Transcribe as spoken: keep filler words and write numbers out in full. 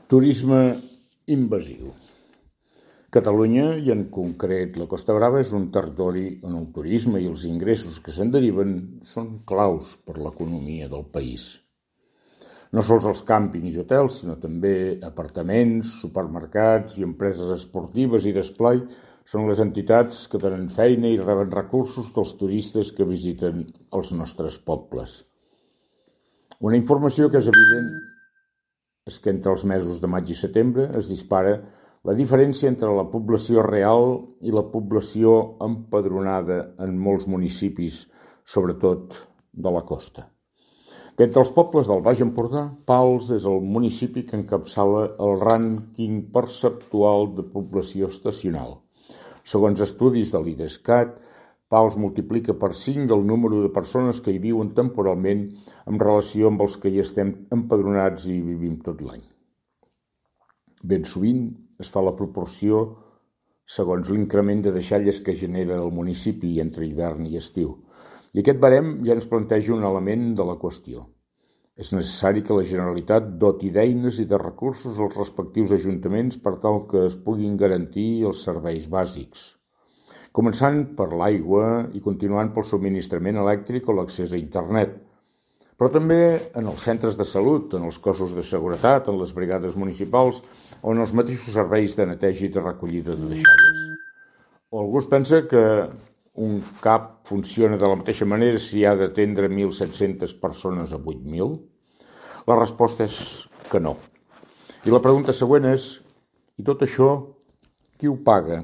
Turisme invasiu. Catalunya, i en concret la Costa Brava, és un territori on el turisme i els ingressos que se'n deriven són claus per l'economia del país. No sols els càmpings i hotels, sinó també apartaments, supermercats i empreses esportives i d'esplai són les entitats que donen feina i reben recursos dels turistes que visiten els nostres pobles. Una informació que és evident és que entre els mesos de maig i setembre es dispara la diferència entre la població real i la població empadronada en molts municipis, sobretot de la costa. Que entre els pobles del Baix Empordà, Pals és el municipi que encapçala el rànquing perceptual de població estacional. Segons estudis de l'Idescat, Pals multiplica per cinc el número de persones que hi viuen temporalment en relació amb els que hi estem empadronats i vivim tot l'any. Ben sovint es fa la proporció segons l'increment de deixalles que genera el municipi entre hivern i estiu. I aquest barem ja ens planteja un element de la qüestió. És necessari que la Generalitat doti d'eines i de recursos als respectius ajuntaments per tal que es puguin garantir els serveis bàsics, començant per l'aigua i continuant pel subministrament elèctric o l'accés a internet, però també en els centres de salut, en els cossos de seguretat, en les brigades municipals o en els mateixos serveis de neteja i de recollida de deixalles. O algú es pensa que un C A P funciona de la mateixa manera si ha d'atendre mil set-centes persones a vuit mil? La resposta és que no. I la pregunta següent és, i tot això, qui ho paga?